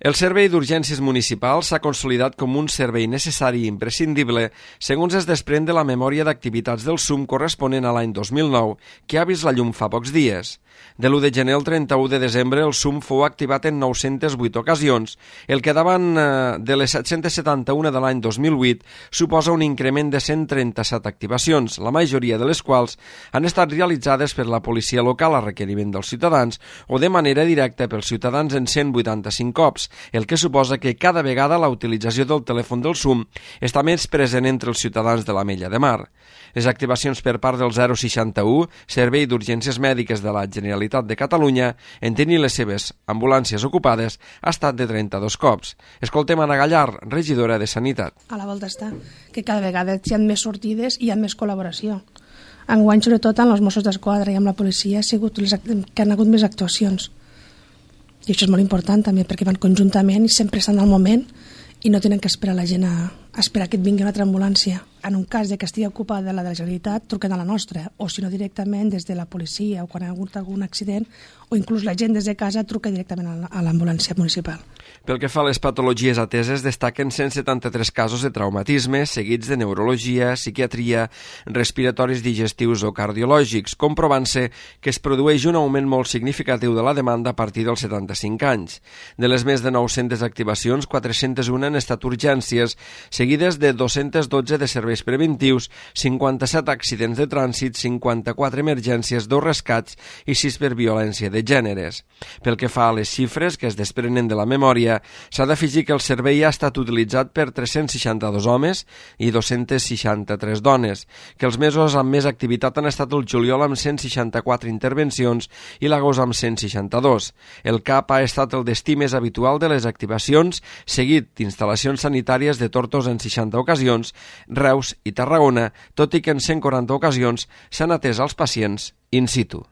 El servei d'urgències municipal s'ha consolidat com un servei necessari i imprescindible, segons es desprèn de la memòria d'activitats del SUM corresponent a l'any 2009, que ha vist la llum fa pocs dies. De l'1 de gener al 31 de desembre, el SUM fou activat en 908 ocasions, el que davant de les 771 de l'any 2008 suposa un increment de 137 activacions, la majoria de les quals han estat realitzades per la policia local a requeriment dels ciutadans o de manera directa pels ciutadans en 185 cops, el que suposa que cada vegada la utilització del telèfon del SUM està més present entre els ciutadans de l'Ametlla de Mar. Les activacions per part del 061, Servei d'Urgències Mèdiques de la Generalitat de Catalunya, en tenir les seves ambulàncies ocupades, ha estat de 32 cops. Escoltem Anna Gallar, regidora de Sanitat. A la volta està que cada vegada hi ha més sortides i hi ha més col·laboració. Enguany, sobretot, amb els Mossos d'Esquadra i amb la policia, ha sigut que han hagut més actuacions. I això és molt important també, perquè van conjuntament i sempre estan al moment i no tenen que esperar la gent a esperar que et vingui una altra ambulància. En un cas de que estigui ocupada la de la Generalitat, truquen a la nostra, o si no directament des de la policia o quan ha hagut algun accident, o inclús la gent des de casa truca directament a l'ambulància municipal. Pel que fa a les patologies ateses, destaquen 173 casos de traumatisme, seguits de neurologia, psiquiatria, respiratoris digestius o cardiològics, comprovant-se que es produeix un augment molt significatiu de la demanda a partir dels 75 anys. De les més de 900 activacions, 401 han estat urgències, seguides de 212 de serveis preventius, 57 accidents de trànsit, 54 emergències, 2 rescats i 6 per violència de gèneres. Pel que fa a les xifres que es desprenen de la memòria, s'ha d'afegir que el servei ha estat utilitzat per 362 homes i 263 dones, que els mesos amb més activitat han estat el juliol amb 164 intervencions i l'agost amb 162. El CAP ha estat el destí més habitual de les activacions, seguit d'instal·lacions sanitàries de Tortosa en 60 ocasions, Reus i Tarragona, tot i que en 140 ocasions s'han atès als pacients in situ.